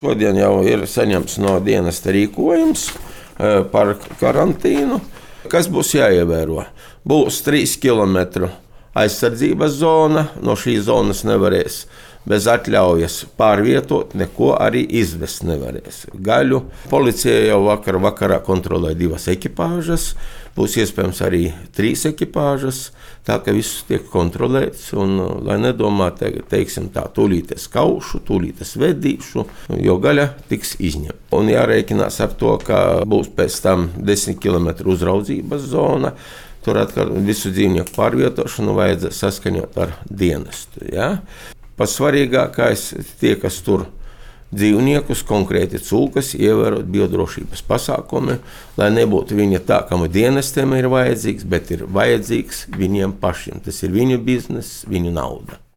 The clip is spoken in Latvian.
Šodien jau ir saņemts no dienesta rīkojums par karantīnu. Kas būs jāievēro? Būs 3 km aizsardzības zona. No šīs zonas nevarēs bez atļaujas pārvietot, neko arī izvest nevarēs. Gaļu policija jau vakarā kontrolē 2 ekipāžas, būs iespējams arī 3 ekipāžas, tā ka viss tiek kontrolēts. Un, lai nedomā, teiksim tā, tūlīt es kaušu, tūlīt es vedīšu, jo gaļa tiks izņemta. Un jārēķinās ar to, ka būs pēc tam 10 km uzraudzības zona. Tur atkal visu dzīvnieku pārvietošanu vajadzēs saskaņot ar dienestu. Ja? Pats svarīgākais tie, kas tur dzīvniekus, konkrēti cūkas, ievērot biodrošības pasākumi, lai nebūtu viņa tā, kam dienestiem ir vajadzīgs, bet ir vajadzīgs viņiem pašiem. Tas ir viņu bizness, viņu nauda.